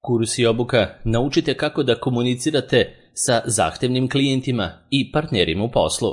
Kurs i obuka naučite kako da komunicirate sa zahtevnim klijentima i partnerima u poslu.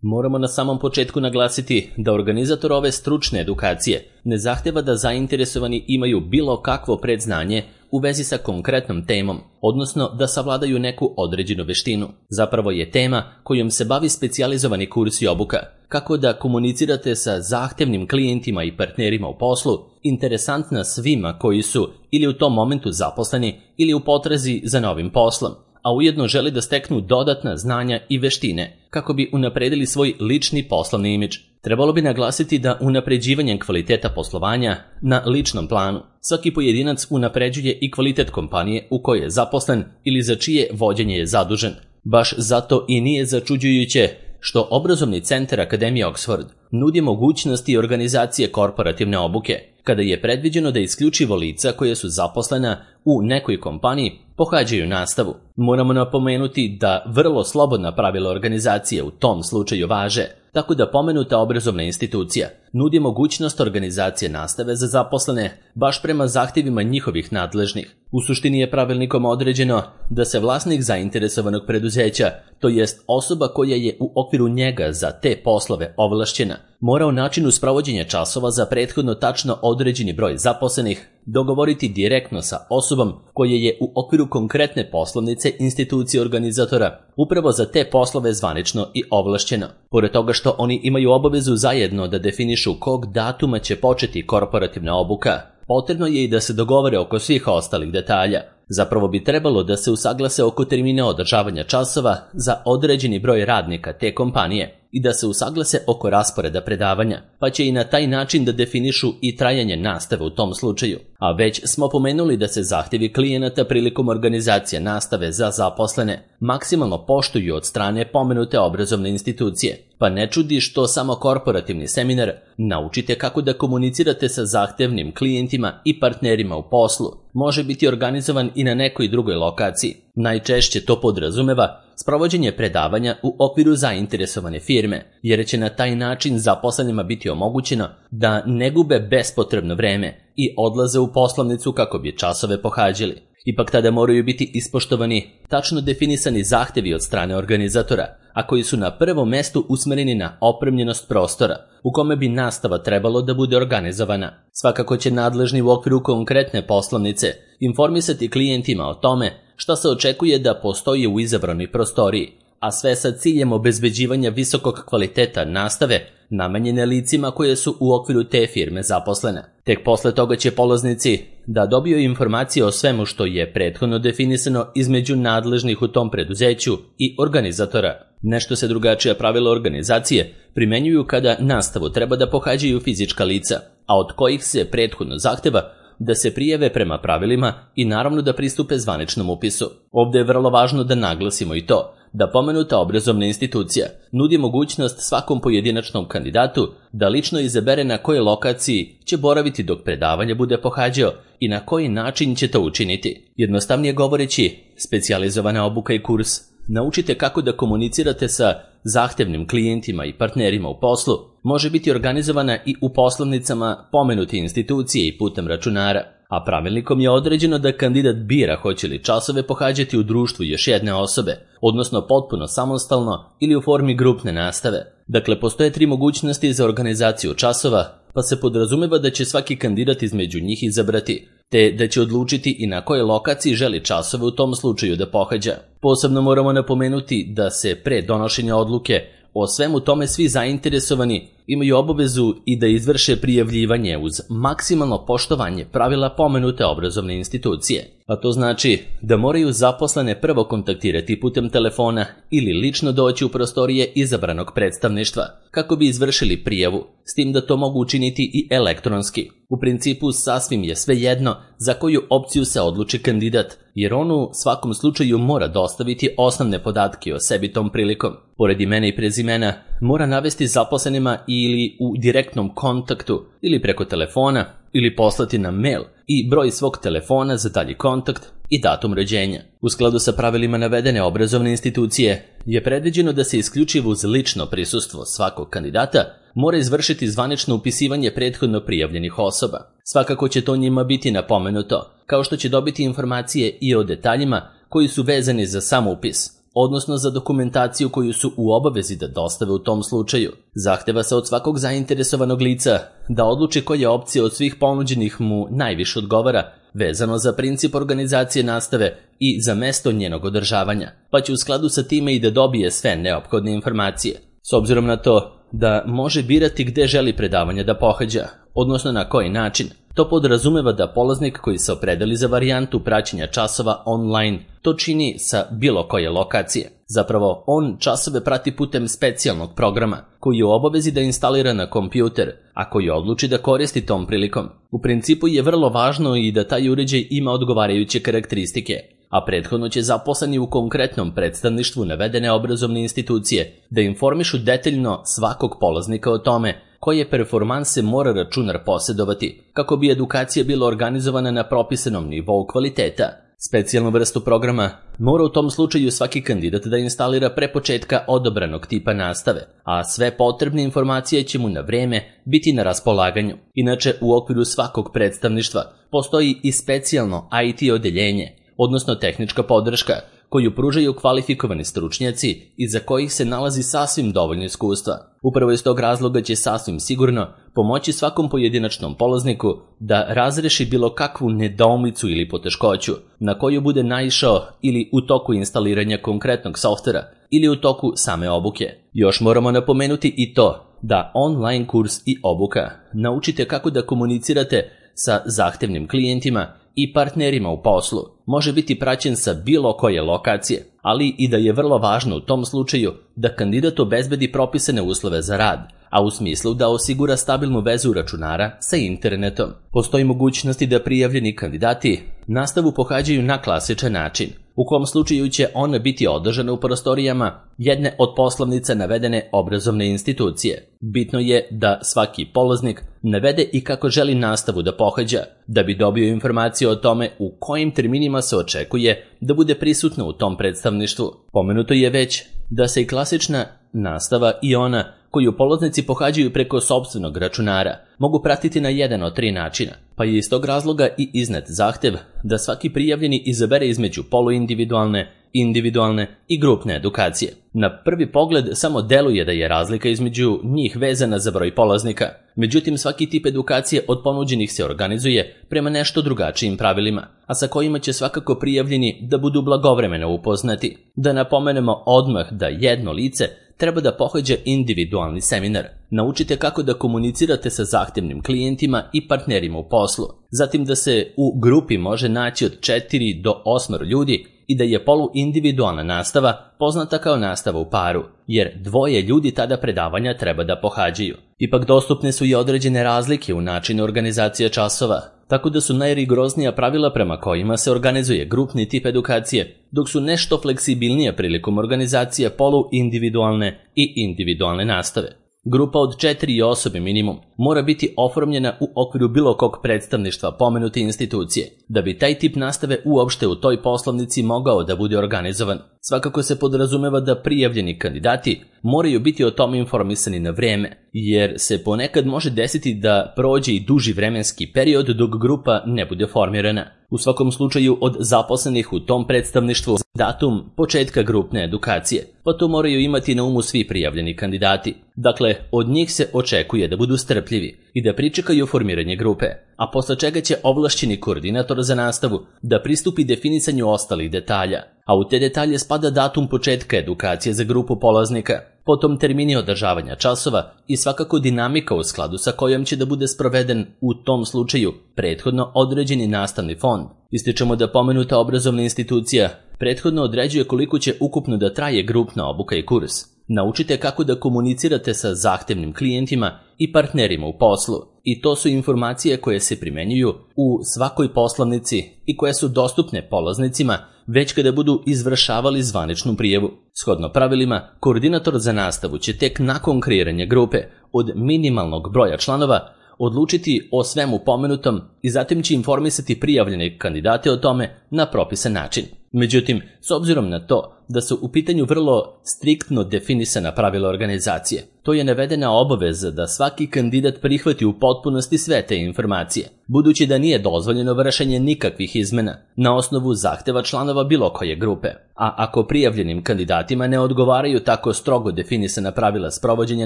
Moramo na samom početku naglasiti da organizator ove stručne edukacije ne zahteva da zainteresovani imaju bilo kakvo predznanje u vezi sa konkretnom temom, odnosno da savladaju neku određenu veštinu. Zapravo je tema kojom se bavi specijalizovani kurs i obuka, kako da komunicirate sa zahtevnim klijentima i partnerima u poslu, interesantna svima koji su ili u tom momentu zaposleni ili u potrazi za novim poslom, a ujedno želi da steknu dodatna znanja i veštine kako bi unapredili svoj lični poslovni imidž. Trebalo bi naglasiti da unapređivanjem kvaliteta poslovanja na ličnom planu svaki pojedinac unapređuje i kvalitet kompanije u kojoj je zaposlen ili za čije vođenje je zadužen. Baš zato i nije začuđujuće što obrazovni centar Akademije Oxford nudi mogućnosti organizacije korporativne obuke, kada je predviđeno da isključivo lica koje su zaposlena u nekoj kompaniji pohađaju nastavu. Moramo napomenuti da vrlo slobodna pravila organizacije u tom slučaju važe, tako da pomenuta obrazovna institucija nudi mogućnost organizacije nastave za zaposlene baš prema zahtjevima njihovih nadležnih. U suštini je pravilnikom određeno da se vlasnik zainteresovanog preduzeća, to jest osoba koja je u okviru njega za te poslove ovlašćena, mora o načinu sprovođenja časova za prethodno tačno određeni broj zaposlenih dogovoriti direktno sa osobom koja je u okviru konkretne poslovnice institucije organizatora upravo za te poslove zvanično i ovlašćeno. Pored toga što oni imaju obavezu zajedno da definišu kog datuma će početi korporativna obuka, potrebno je i da se dogovore oko svih ostalih detalja. Zapravo bi trebalo da se usaglase oko termina održavanja časova za određeni broj radnika te kompanije i da se usaglase oko rasporeda predavanja, pa će i na taj način da definišu i trajanje nastave u tom slučaju. A već smo pomenuli da se zahtjevi klijenata prilikom organizacije nastave za zaposlene maksimalno poštuju od strane pomenute obrazovne institucije, pa ne čudi što samo korporativni seminar Naučite kako da komunicirate sa zahtevnim klijentima i partnerima u poslu može biti organizovan i na nekoj drugoj lokaciji. Najčešće to podrazumeva sprovođenje predavanja u okviru zainteresovane firme, jer će na taj način zaposlenima biti omogućeno da ne gube bespotrebno vreme i odlaze u poslovnicu kako bi časove pohađali. Ipak tada moraju biti ispoštovani tačno definisani zahtjevi od strane organizatora, a koji su na prvom mestu usmereni na opremljenost prostora u kome bi nastava trebalo da bude organizovana. Svakako će nadležni u okviru konkretne poslovnice informisati klijentima o tome šta se očekuje da postoji u izabranoj prostoriji, a sve sa ciljem obezbeđivanja visokog kvaliteta nastave namenjene licima koje su u okviru te firme zaposlene. Tek posle toga će polaznici da dobiju informacije o svemu što je prethodno definisano između nadležnih u tom preduzeću i organizatora. Nešto se drugačija pravila organizacije primenjuju kada nastavu treba da pohađaju fizička lica, a od kojih se prethodno zahteva da se prijave prema pravilima i naravno da pristupe zvaničnom upisu. Ovdje je vrlo važno da naglasimo i to da pomenuta obrazovna institucija nudi mogućnost svakom pojedinačnom kandidatu da lično izabere na kojoj lokaciji će boraviti dok predavanje bude pohađao i na koji način će to učiniti. Jednostavnije govoreći, specijalizovana obuka i kurs Naučite kako da komunicirate sa zahtevnim klijentima i partnerima u poslu može biti organizovana i u poslovnicama pomenute institucije i putem računara, a pravilnikom je određeno da kandidat bira hoće li časove pohađati u društvu još jedne osobe, odnosno potpuno samostalno ili u formi grupne nastave. Dakle, postoje 3 mogućnosti za organizaciju časova, pa se podrazumeva da će svaki kandidat između njih izabrati, te da će odlučiti i na kojoj lokaciji želi časove u tom slučaju da pohađa. Posebno moramo napomenuti da se pre donošenja odluke o svemu tome svi zainteresovani imaju obavezu i da izvrše prijavljivanje uz maksimalno poštovanje pravila pomenute obrazovne institucije. A to znači da moraju zaposlene prvo kontaktirati putem telefona ili lično doći u prostorije izabranog predstavništva kako bi izvršili prijavu, s tim da to mogu učiniti i elektronski. U principu sasvim je svejedno za koju opciju se odluči kandidat, jer on u svakom slučaju mora dostaviti osnovne podatke o sebi tom prilikom. Pored imena i prezimena mora navesti zaposlenima ili u direktnom kontaktu ili preko telefona ili poslati na mail i broj svog telefona za dalji kontakt i datum rođenja. U skladu sa pravilima navedene obrazovne institucije, je predviđeno da se isključivo uz lično prisustvo svakog kandidata mora izvršiti zvanično upisivanje prethodno prijavljenih osoba. Svakako će to njima biti napomenuto, kao što će dobiti informacije i o detaljima koji su vezani za sam upis, odnosno za dokumentaciju koju su u obavezi da dostave u tom slučaju. Zahteva se od svakog zainteresovanog lica da odluči koja opcija od svih ponuđenih mu najviše odgovara, vezano za princip organizacije nastave i za mesto njenog održavanja, pa će u skladu sa time i da dobije sve neophodne informacije. S obzirom na to da može birati gde želi predavanje da pohađa, odnosno na koji način, to podrazumeva da polaznik koji se opredeli za varijantu praćenja časova online to čini sa bilo koje lokacije. Zapravo, on časove prati putem specijalnog programa koji je u obavezi da instalira na kompjuter, a koji odluči da koristi tom prilikom. U principu je vrlo važno i da taj uređaj ima odgovarajuće karakteristike, a prethodno će zaposleni u konkretnom predstavništvu navedene obrazovne institucije da informišu detaljno svakog polaznika o tome koje performanse mora računar posjedovati kako bi edukacija bila organizovana na propisanom nivou kvaliteta. Specijalnu vrstu programa mora u tom slučaju svaki kandidat da instalira pre početka odabranog tipa nastave, a sve potrebne informacije će mu na vreme biti na raspolaganju. Inače, u okviru svakog predstavništva postoji i specijalno IT odeljenje, odnosno tehnička podrška, koju pružaju kvalifikovani stručnjaci i za kojih se nalazi sasvim dovoljno iskustva. Upravo iz tog razloga će sasvim sigurno pomoći svakom pojedinačnom polazniku da razreši bilo kakvu nedoumicu ili poteškoću na koju bude naišao ili u toku instaliranja konkretnog softvera ili u toku same obuke. Još moramo napomenuti i to da online kurs i obuka naučite kako da komunicirate sa zahtevnim klijentima i partnerima u poslu može biti praćen sa bilo koje lokacije, ali i da je vrlo važno u tom slučaju da kandidat obezbedi propisane uslove za rad, a u smislu da osigura stabilnu vezu računara sa internetom. Postoji mogućnosti da prijavljeni kandidati nastavu pohađaju na klasičan način, u kom slučaju će ona biti održana u prostorijama jedne od poslovnica navedene obrazovne institucije. Bitno je da svaki polaznik navede i kako želi nastavu da pohađa, da bi dobio informacije o tome u kojim terminima se očekuje da bude prisutna u tom predstavništvu. Pomenuto je već da se i klasična nastava i ona koju polaznici pohađaju preko sopstvenog računara mogu pratiti na jedan od 3 načina, pa je iz tog razloga i iznet zahtev da svaki prijavljeni izabere između poluindividualne, individualne i grupne edukacije. Na prvi pogled samo deluje da je razlika između njih vezana za broj polaznika, međutim svaki tip edukacije od ponuđenih se organizuje prema nešto drugačijim pravilima, a sa kojima će svakako prijavljeni da budu blagovremeno upoznati. Da napomenemo odmah da jedno lice treba da pohađa individualni seminar. Naučite kako da komunicirate sa zahtevnim klijentima i partnerima u poslu. Zatim da se u grupi može naći od 4 do 8 ljudi i da je poluindividualna nastava poznata kao nastava u paru, jer 2 ljudi tada predavanja treba da pohađaju. Ipak dostupne su i određene razlike u načinu organizacije časova, tako da su najrigoroznija pravila prema kojima se organizuje grupni tip edukacije, dok su nešto fleksibilnije prilikom organizacije poluindividualne i individualne nastave. Grupa od 4 osobe minimum mora biti oformljena u okviru bilo kog predstavništva pomenute institucije, da bi taj tip nastave uopšte u toj poslovnici mogao da bude organizovan. Svakako se podrazumeva da prijavljeni kandidati moraju biti o tome informisani na vreme, jer se ponekad može desiti da prođe i duži vremenski period dok grupa ne bude formirana. U svakom slučaju od zaposlenih u tom predstavništvu datum početka grupne edukacije, pa to moraju imati na umu svi prijavljeni kandidati. Dakle, od njih se očekuje da budu strpljivi i da pričekaju formiranje grupe, a posle čega će ovlašćeni koordinator za nastavu da pristupi definisanju ostalih detalja, a u te detalje spada datum početka edukacije za grupu polaznika, potom termini održavanja časova i svakako dinamika u skladu sa kojom će da bude sproveden u tom slučaju prethodno određeni nastavni fond. Ističemo da pomenuta obrazovna institucija prethodno određuje koliko će ukupno da traje grupna obuka i kurs. Naučite kako da komunicirate sa zahtevnim klijentima i partnerima u poslu, i to su informacije koje se primenjuju u svakoj poslovnici i koje su dostupne polaznicima već kada budu izvršavali zvaničnu prijavu. Shodno pravilima, koordinator za nastavu će tek nakon kreiranja grupe od minimalnog broja članova odlučiti o svemu pomenutom i zatim će informisati prijavljene kandidate o tome na propisan način. Međutim, s obzirom na to da su u pitanju vrlo striktno definisana pravila organizacije. To je navedena obaveza da svaki kandidat prihvati u potpunosti sve te informacije, budući da nije dozvoljeno vršenje nikakvih izmena na osnovu zahteva članova bilo koje grupe. A ako prijavljenim kandidatima ne odgovaraju tako strogo definisana pravila sprovođenja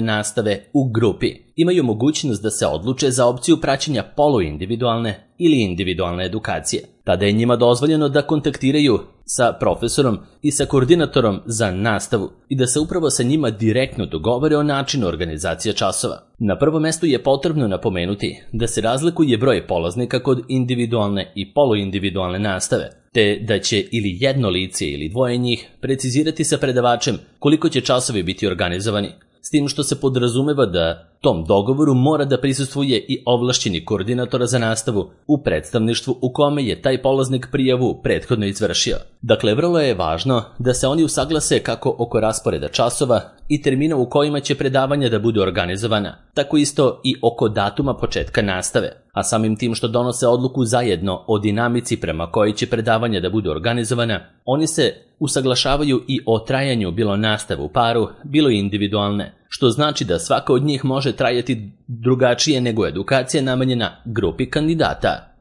nastave u grupi, imaju mogućnost da se odluče za opciju praćenja poluindividualne ili individualne edukacije. Tada je njima dozvoljeno da kontaktiraju sa profesorom i sa koordinatorom za nastavu i da se upravo sa njima direktno dogovore o načinu organizacije časova. Na prvom mestu je potrebno napomenuti da se razlikuje broj polaznika kod individualne i poluindividualne nastave, te da će ili jedno lice ili dvoje njih precizirati sa predavačem koliko će časovi biti organizovani, s tim što se podrazumeva da tom dogovoru mora da prisustvuje i ovlašćeni koordinator za nastavu u predstavništvu u kome je taj polaznik prijavu prethodno izvršio. Dakle, vrlo je važno da se oni usaglase kako oko rasporeda časova i termina u kojima će predavanja da budu organizovana, tako isto i oko datuma početka nastave, a samim tim što donose odluku zajedno o dinamici prema kojoj će predavanja da budu organizovana, oni se usaglašavaju i o trajanju bilo nastave u paru, bilo individualne, što znači da svaka od njih može trajati drugačije nego edukacija namenjena grupi kandidata.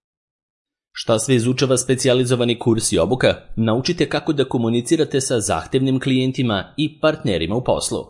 Šta sve izučava specijalizovani kurs i obuka? Naučite kako da komunicirate sa zahtevnim klijentima i partnerima u poslu.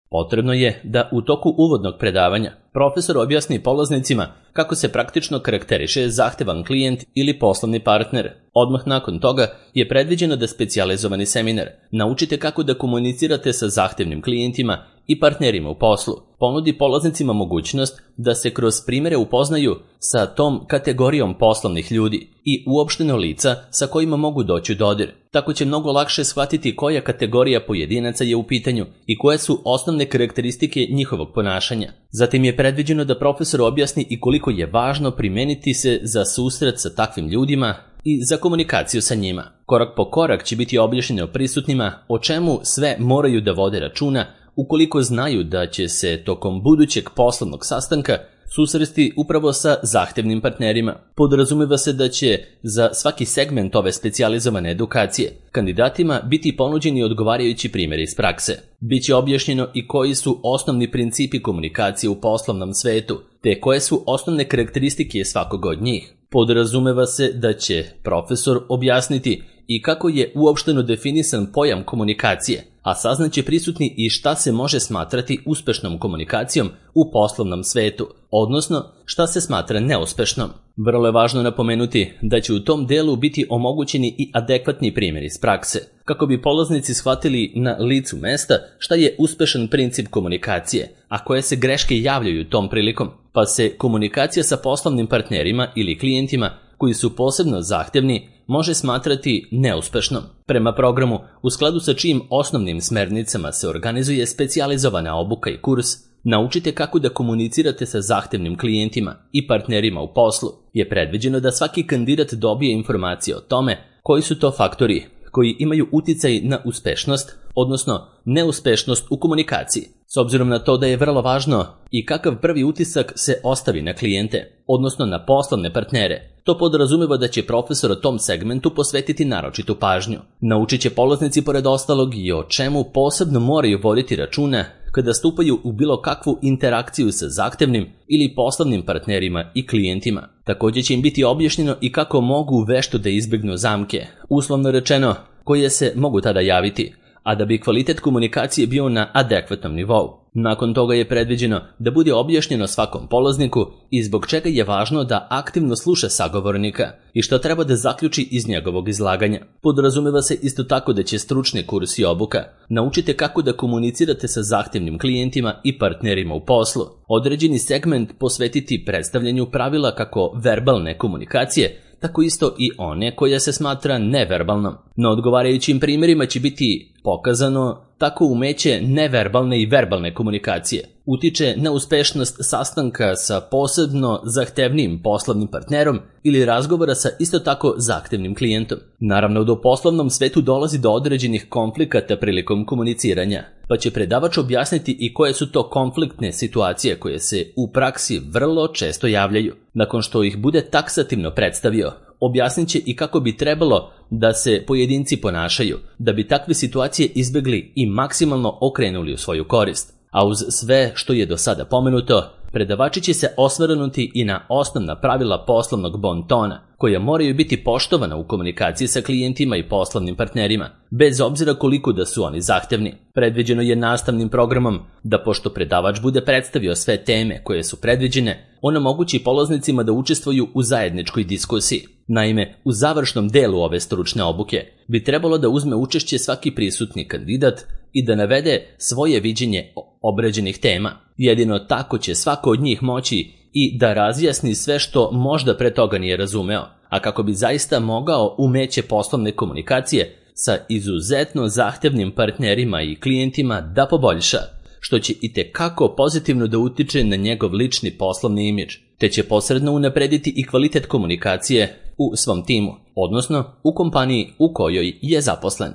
Potrebno je da u toku uvodnog predavanja profesor objasni polaznicima kako se praktično karakteriše zahtevan klijent ili poslovni partner. Odmah nakon toga je predviđeno da specijalizovani seminar Naučite kako da komunicirate sa zahtevnim klijentima i partnerima u poslu ponudi polaznicima mogućnost da se kroz primere upoznaju sa tom kategorijom poslovnih ljudi i uopšteno lica sa kojima mogu doći u dodir. Tako će mnogo lakše shvatiti koja kategorija pojedinaca je u pitanju i koje su osnovne karakteristike njihovog ponašanja. Zatim je predviđeno da profesor objasni i koliko je važno primeniti se za susret sa takvim ljudima i za komunikaciju sa njima. Korak po korak će biti objašnjeno prisutnima o čemu sve moraju da vode računa ukoliko znaju da će se tokom budućeg poslovnog sastanka susresti upravo sa zahtevnim partnerima. Podrazumeva se da će za svaki segment ove specijalizovane edukacije kandidatima biti ponuđeni odgovarajući primjeri iz prakse. Biće objašnjeno i koji su osnovni principi komunikacije u poslovnom svetu, te koje su osnovne karakteristike svakog od njih. Podrazumeva se da će profesor objasniti i kako je uopšteno definisan pojam komunikacije, a saznaće prisutni i šta se može smatrati uspešnom komunikacijom u poslovnom svetu, odnosno šta se smatra neuspešnom. Vrlo je važno napomenuti da će u tom delu biti omogućeni i adekvatni primjeri iz prakse, kako bi polaznici shvatili na licu mesta šta je uspešan princip komunikacije, a koje se greške javljaju tom prilikom, pa se komunikacija sa poslovnim partnerima ili klijentima koji su posebno zahtevni može smatrati neuspešnom. Prema programu, u skladu sa čijim osnovnim smernicama se organizuje specijalizovana obuka i kurs Naučite kako da komunicirate sa zahtevnim klijentima i partnerima u poslu, je predviđeno da svaki kandidat dobije informacije o tome koji su to faktori koji imaju uticaj na uspešnost, odnosno neuspešnost u komunikaciji. S obzirom na to da je vrlo važno i kakav prvi utisak se ostavi na klijente, odnosno na poslovne partnere, to podrazumeva da će profesor o tom segmentu posvetiti naročitu pažnju. Naučit će polaznici pored ostalog i o čemu posebno moraju voditi računa kada stupaju u bilo kakvu interakciju sa zahtevnim ili poslovnim partnerima i klijentima. Također će im biti objašnjeno i kako mogu vešto da izbjegnu zamke, uslovno rečeno, koje se mogu tada javiti, a da bi kvalitet komunikacije bio na adekvatnom nivou. Nakon toga je predviđeno da bude objašnjeno svakom polazniku i zbog čega je važno da aktivno sluša sagovornika i što treba da zaključi iz njegovog izlaganja. Podrazumeva se isto tako da će stručni kurs i obuka Naučite kako da komunicirate sa zahtevnim klijentima i partnerima u poslu. Određeni segment posvetiti predstavljanju pravila kako verbalne komunikacije, tako isto i one koja se smatra neverbalnom. Na odgovarajućim primjerima će biti pokazano tako umeće neverbalne i verbalne komunikacije. utiče na uspešnost sastanka sa posebno zahtevnim poslovnim partnerom ili razgovora sa isto tako zahtevnim klijentom. Naravno, do poslovnom svetu dolazi do određenih konflikata prilikom komuniciranja, pa će predavač objasniti i koje su to konfliktne situacije koje se u praksi vrlo često javljaju. Nakon što ih bude taksativno predstavio, objasnit će i kako bi trebalo da se pojedinci ponašaju, da bi takve situacije izbjegli i maksimalno okrenuli u svoju korist. A uz sve što je do sada pomenuto, predavači će se osvrnuti i na osnovna pravila poslovnog bon tona, koja moraju biti poštovana u komunikaciji sa klijentima i poslovnim partnerima, bez obzira koliko da su oni zahtevni. Predviđeno je nastavnim programom da, pošto predavač bude predstavio sve teme koje su predviđene, on omogući polaznicima da učestvuju u zajedničkoj diskusiji. Naime, u završnom delu ove stručne obuke bi trebalo da uzme učešće svaki prisutni kandidat i da navede svoje viđenje obrađenih tema. Jedino tako će svako od njih moći i da razjasni sve što možda pre toga nije razumeo, a kako bi zaista mogao umeće poslovne komunikacije sa izuzetno zahtevnim partnerima i klijentima da poboljša, što će itekako pozitivno da utiče na njegov lični poslovni imidž, te će posredno unaprediti i kvalitet komunikacije u svom timu, odnosno u kompaniji u kojoj je zaposlen.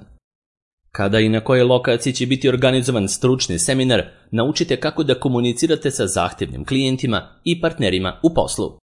Kada i na kojoj lokaciji će biti organizovan stručni seminar, naučite kako da komunicirate sa zahtevnim klijentima i partnerima u poslu.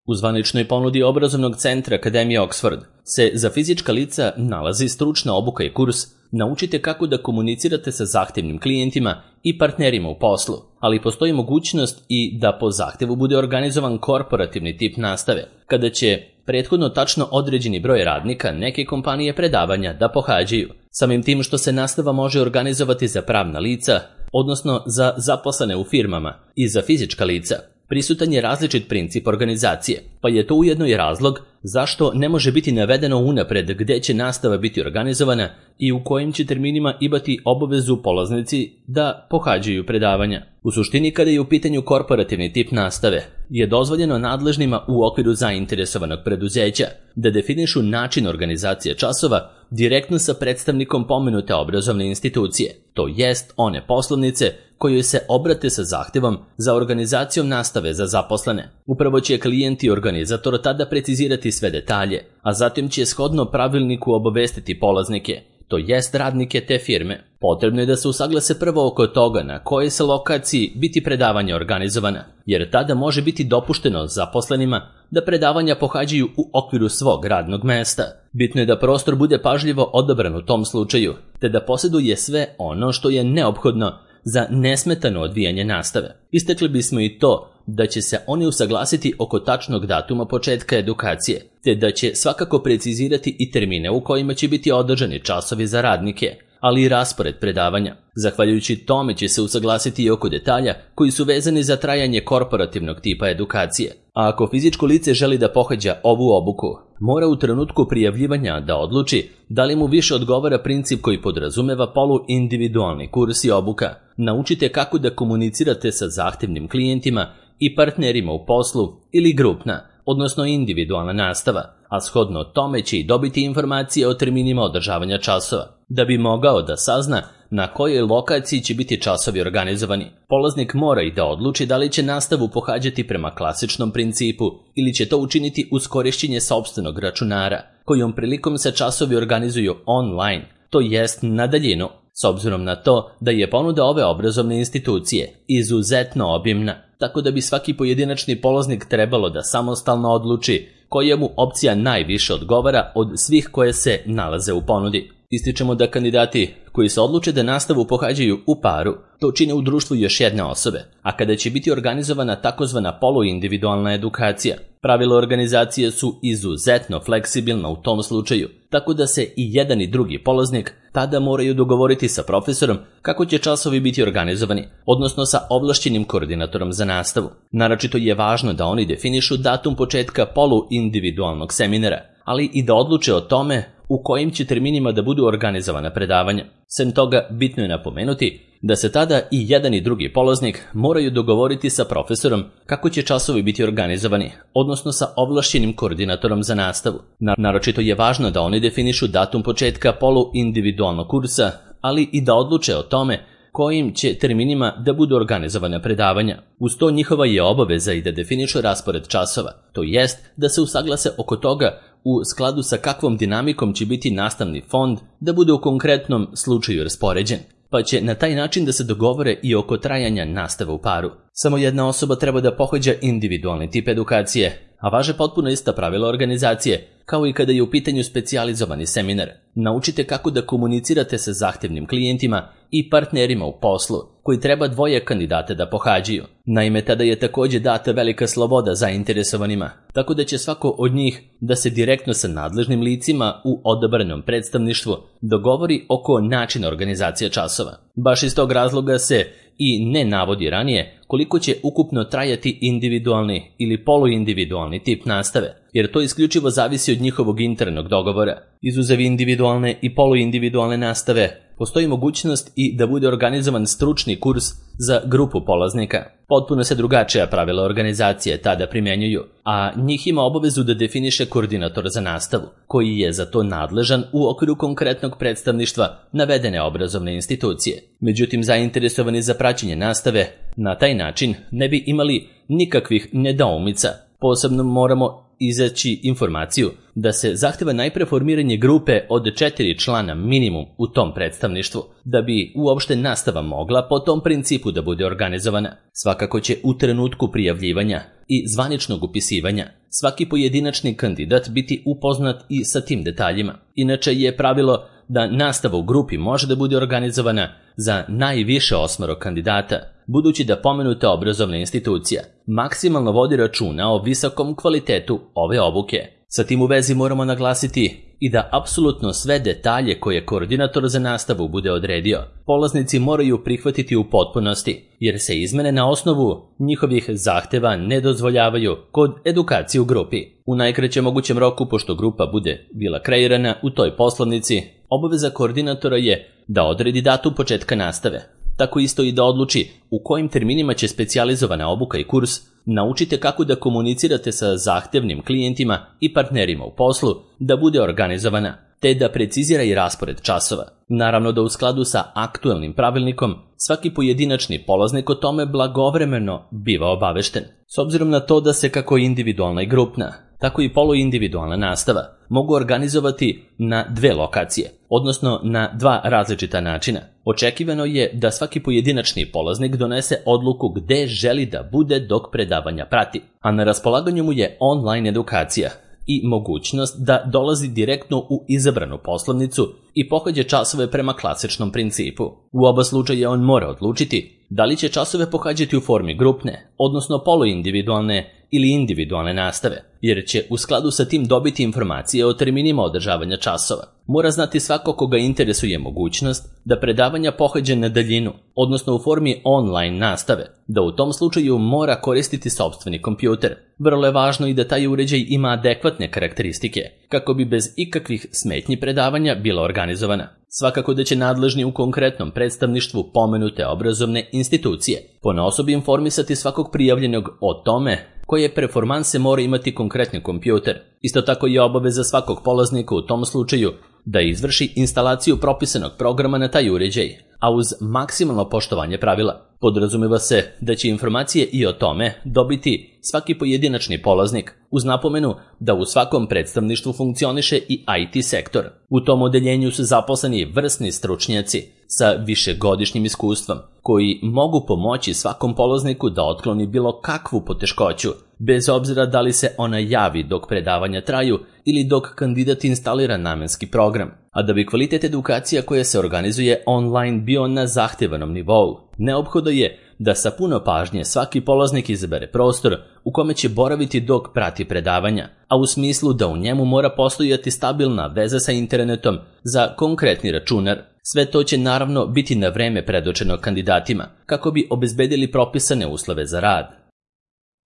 U zvaničnoj ponudi obrazovnog centra Akademije Oxford se za fizička lica nalazi stručna obuka i kurs Naučite kako da komunicirate sa zahtevnim klijentima i partnerima u poslu, ali postoji mogućnost i da po zahtevu bude organizovan korporativni tip nastave, kada će prethodno tačno određeni broj radnika neke kompanije predavanja da pohađaju, samim tim što se nastava može organizovati za pravna lica, odnosno za zaposlene u firmama, i za fizička lica. Prisutan je različit princip organizacije, pa je to ujedno i razlog zašto ne može biti navedeno unapred gde će nastava biti organizovana i u kojim će terminima imati obavezu polaznici da pohađaju predavanja. U suštini, kada je u pitanju korporativni tip nastave, je dozvoljeno nadležnima u okviru zainteresovanog preduzeća da definišu način organizacije časova direktno sa predstavnikom pomenute obrazovne institucije, to jest one poslovnice kojoj se obrate sa zahtevom za organizacijom nastave za zaposlene. Upravo će klijent i organizator tada precizirati sve detalje, a zatim će shodno pravilniku obavestiti polaznike, to jest radnike te firme. Potrebno je da se usaglase prvo oko toga na kojoj se lokaciji biti predavanja organizovana, jer tada može biti dopušteno zaposlenima da predavanja pohađaju u okviru svog radnog mesta. Bitno je da prostor bude pažljivo odabran u tom slučaju, te da posjeduje sve ono što je neophodno za nesmetano odvijanje nastave. Istakli bismo i to da će se oni usaglasiti oko tačnog datuma početka edukacije, te da će svakako precizirati i termine u kojima će biti održani časovi za radnike, ali i raspored predavanja. Zahvaljujući tome će se usaglasiti i oko detalja koji su vezani za trajanje korporativnog tipa edukacije. A ako fizičko lice želi da pohađa ovu obuku, mora u trenutku prijavljivanja da odluči da li mu više odgovara princip koji podrazumeva poluindividualni kurs i obuka. Naučite kako da komunicirate sa zahtevnim klijentima i partnerima u poslu ili grupna, odnosno individualna nastava, a shodno tome će i dobiti informacije o terminima održavanja časova. Da bi mogao da sazna na kojoj lokaciji će biti časovi organizovani, polaznik mora i da odluči da li će nastavu pohađati prema klasičnom principu ili će to učiniti uz korišćenje sopstvenog računara, kojom prilikom se časovi organizuju online, to jest na daljinu, s obzirom na to da je ponuda ove obrazovne institucije izuzetno obimna, tako da bi svaki pojedinačni polaznik trebalo da samostalno odluči koja mu opcija najviše odgovara od svih koje se nalaze u ponudi. Ističemo da kandidati koji se odluče da nastavu pohađaju u paru, to čine u društvu još jedne osobe, a kada će biti organizovana takozvana poluindividualna edukacija, pravila organizacije su izuzetno fleksibilna u tom slučaju, tako da se i jedan i drugi polaznik tada moraju dogovoriti sa profesorom kako će časovi biti organizovani, odnosno sa ovlašćenim koordinatorom za nastavu. Naročito je važno da oni definišu datum početka poluindividualnog seminara, ali i da odluče o tome u kojim će terminima da budu organizovana predavanja. Sem toga, bitno je napomenuti da se tada i jedan i drugi polaznik moraju dogovoriti sa profesorom kako će časovi biti organizovani, odnosno sa ovlašćenim koordinatorom za nastavu. Naročito je važno da oni definišu datum početka poluindividualnog kursa, ali i da odluče o tome kojim će terminima da budu organizovana predavanja. Uz to njihova je obaveza i da definišu raspored časova, to jest da se usaglase oko toga u skladu sa kakvom dinamikom će biti nastavni fond da bude u konkretnom slučaju raspoređen, pa će na taj način da se dogovore i oko trajanja nastave u paru. Samo jedna osoba treba da pohađa individualni tip edukacije, a važe potpuno ista pravila organizacije, kao i kada je u pitanju specijalizovani seminar. Naučite kako da komunicirate sa zahtevnim klijentima i partnerima u poslu, koji treba dvoje kandidata da pohađaju. Naime, tada je također data velika sloboda zainteresovanima, tako da će svako od njih da se direktno sa nadležnim licima u odabranom predstavništvu dogovori oko načina organizacije časova. Baš iz tog razloga se i ne navodi ranije koliko će ukupno trajati individualni ili poluindividualni tip nastave, jer to isključivo zavisi od njihovog internog dogovora. Izuzev individualne i poluindividualne nastave, postoji mogućnost i da bude organizovan stručni kurs za grupu polaznika. Potpuno se drugačija pravila organizacije tada primjenjuju, a njih ima obavezu da definiše koordinator za nastavu, koji je za to nadležan u okviru konkretnog predstavništva navedene obrazovne institucije. Međutim, zainteresovani za praćenje nastave na taj način ne bi imali nikakvih nedoumica. Posebno moramo izaći informaciju da se zahteva najpre formiranje grupe od 4 člana minimum u tom predstavništvu, da bi uopšte nastava mogla po tom principu da bude organizovana. Svakako će u trenutku prijavljivanja i zvaničnog upisivanja svaki pojedinačni kandidat biti upoznat i sa tim detaljima. Inače je pravilo da nastava u grupi može da bude organizovana za najviše 8 kandidata, budući da pomenuta obrazovna institucija maksimalno vodi računa o visokom kvalitetu ove obuke. Sa tim u vezi moramo naglasiti i da apsolutno sve detalje koje koordinator za nastavu bude odredio, polaznici moraju prihvatiti u potpunosti, jer se izmene na osnovu njihovih zahteva ne dozvoljavaju kod edukacije u grupi. U najkraćem mogućem roku, pošto grupa bude bila kreirana u toj poslovnici, obaveza koordinatora je da odredi datum početka nastave. Tako isto i da odluči u kojim terminima će specijalizovana obuka i kurs. Naučite kako da komunicirate sa zahtevnim klijentima i partnerima u poslu da bude organizovana, te da precizira i raspored časova. Naravno da u skladu sa aktuelnim pravilnikom svaki pojedinačni polaznik o tome blagovremeno biva obavešten. S obzirom na to da se kako individualna i grupna, tako i poluindividualna nastava mogu organizovati na 2 lokacije, odnosno na 2 različita načina. Očekivano je da svaki pojedinačni polaznik donese odluku gde želi da bude dok predavanja prati, a na raspolaganju mu je online edukacija i mogućnost da dolazi direktno u izabranu poslovnicu i pohađa časove prema klasičnom principu. U oba slučaja on mora odlučiti da li će časove pohađati u formi grupne, odnosno poluindividualne ili individualne nastave, jer će u skladu sa tim dobiti informacije o terminima održavanja časova. Mora znati svako koga interesuje mogućnost da predavanja pohađa na daljinu, odnosno u formi online nastave, da u tom slučaju mora koristiti sopstveni kompjuter. Vrlo je važno i da taj uređaj ima adekvatne karakteristike, kako bi bez ikakvih smetnji predavanja bila organizovana. Svakako da će nadležni u konkretnom predstavništvu pomenute obrazovne institucije ponaosob informisati svakog prijavljenog o tome koje performanse mora imati konkretni kompjuter. Isto tako je obaveza svakog polaznika u tom slučaju da izvrši instalaciju propisanog programa na taj uređaj, a uz maksimalno poštovanje pravila. Podrazumeva se da će informacije i o tome dobiti svaki pojedinačni polaznik, uz napomenu da u svakom predstavništvu funkcioniše i IT sektor. U tom odeljenju su zaposleni vrsni stručnjaci sa višegodišnjim iskustvom, koji mogu pomoći svakom polazniku da otkloni bilo kakvu poteškoću, bez obzira da li se ona javi dok predavanja traju ili dok kandidat instalira namenski program. A da bi kvalitet edukacija koja se organizuje online bio na zahtevanom nivou, neophodno je da sa puno pažnje svaki polaznik izabere prostor u kome će boraviti dok prati predavanja, a u smislu da u njemu mora postojati stabilna veza sa internetom za konkretni računar. Sve to će naravno biti na vreme predočeno kandidatima, kako bi obezbedili propisane uslove za rad.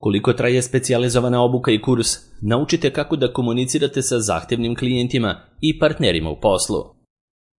Koliko traje specijalizovana obuka i kurs, naučite kako da komunicirate sa zahtevnim klijentima i partnerima u poslu.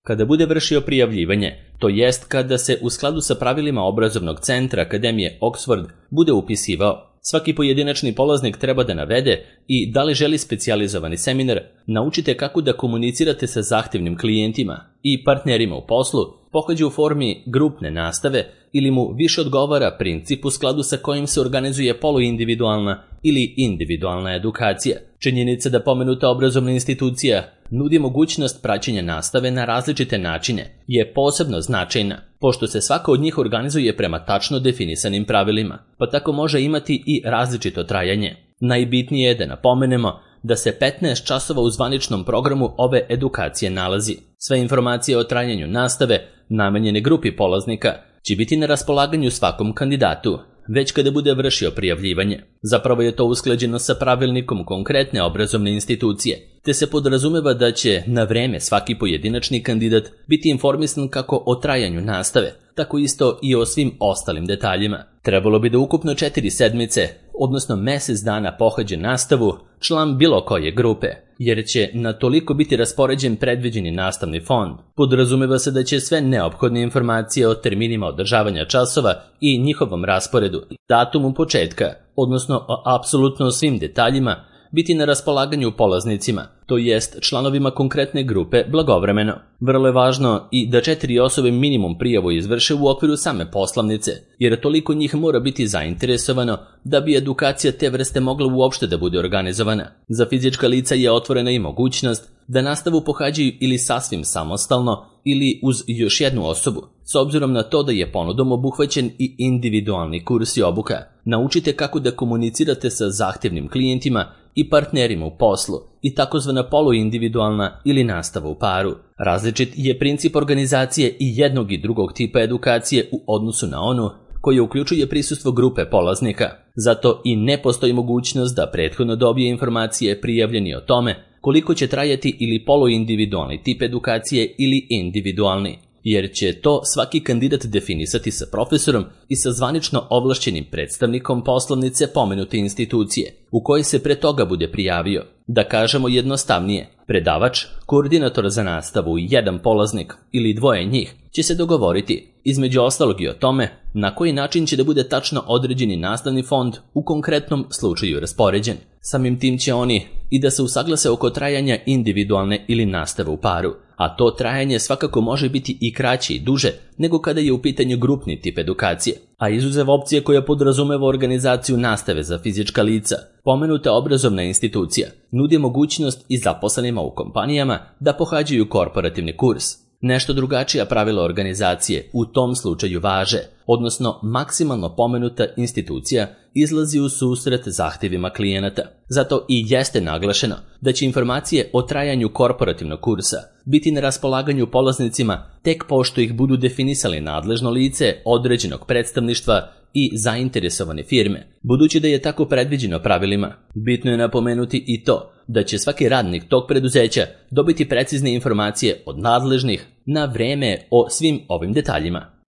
Kada bude vršio prijavljivanje, to jest kada se u skladu sa pravilima obrazovnog centra Akademije Oxford bude upisivao, Svaki pojedinačni polaznik treba da navede i da li želi specijalizovani seminar, naučite kako da komunicirate sa zahtevnim klijentima i partnerima u poslu, pohađa u formi grupne nastave ili mu više odgovara princip u skladu sa kojim se organizuje poluindividualna ili individualna edukacija. Činjenica da pomenuta obrazovna institucija nudi mogućnost praćenja nastave na različite načine je posebno značajna, pošto se svaka od njih organizuje prema tačno definisanim pravilima, pa tako može imati i različito trajanje. Najbitnije je da napomenemo da se 15 časova u zvaničnom programu ove edukacije nalazi. Sve informacije o trajanju nastave, namenjene grupi polaznika, će biti na raspolaganju svakom kandidatu, već kada bude vršio prijavljivanje. Zapravo je to usklađeno sa pravilnikom konkretne obrazovne institucije, te se podrazumeva da će na vreme svaki pojedinačni kandidat biti informisan kako o trajanju nastave, tako isto i o svim ostalim detaljima. Trebalo bi da ukupno 4 sedmice, odnosno mjesec dana pohađa nastavu član bilo koje grupe, jer će na toliko biti raspoređen predviđeni nastavni fond. Podrazumeva se da će sve neophodne informacije o terminima održavanja časova i njihovom rasporedu, datumu početka, odnosno o apsolutno svim detaljima, biti na raspolaganju polaznicima, to jest članovima konkretne grupe blagovremeno. Vrlo je važno i da 4 osobe minimum prijavu izvrše u okviru same poslovnice, jer toliko njih mora biti zainteresovano da bi edukacija te vrste mogla uopšte da bude organizovana. Za fizička lica je otvorena i mogućnost da nastavu pohađaju ili sasvim samostalno ili uz još jednu osobu, s obzirom na to da je ponudom obuhvaćen i individualni kurs i obuka. Naučite kako da komunicirate sa zahtevnim klijentima i partnerima u poslu i takozvana poluindividualna ili nastava u paru. Različit je princip organizacije i jednog i drugog tipa edukacije u odnosu na onu koji uključuje prisustvo grupe polaznika. Zato i ne postoji mogućnost da prethodno dobije informacije prijavljeni o tome koliko će trajati ili poluindividualni tip edukacije ili individualni, jer će to svaki kandidat definisati sa profesorom i sa zvanično ovlašćenim predstavnikom poslovnice pomenute institucije, u kojoj se pre toga bude prijavio. Da kažemo jednostavnije, predavač, koordinator za nastavu i jedan polaznik ili dvoje njih će se dogovoriti, između ostalog i o tome, na koji način će da bude tačno određeni nastavni fond u konkretnom slučaju raspoređen. Samim tim će oni i da se usaglase oko trajanja individualne ili nastave u paru, a to trajanje svakako može biti i kraće i duže nego kada je u pitanju grupni tip edukacije. A izuzev opcije koja podrazumeva organizaciju nastave za fizička lica, pomenuta obrazovna institucija nudi mogućnost i zaposlenima u kompanijama da pohađaju korporativni kurs. Nešto drugačija pravila organizacije u tom slučaju važe, odnosno maksimalno pomenuta institucija izlazi u susret zahtjevima klijenata. Zato i jeste naglašeno da će informacije o trajanju korporativnog kursa biti na raspolaganju polaznicima tek pošto ih budu definisali nadležno lice određenog predstavništva i zainteresovane firme. Budući da je tako predviđeno pravilima, bitno je napomenuti i to da će svaki radnik tog preduzeća dobiti precizne informacije od nadležnih na vreme o svim ovim detaljima.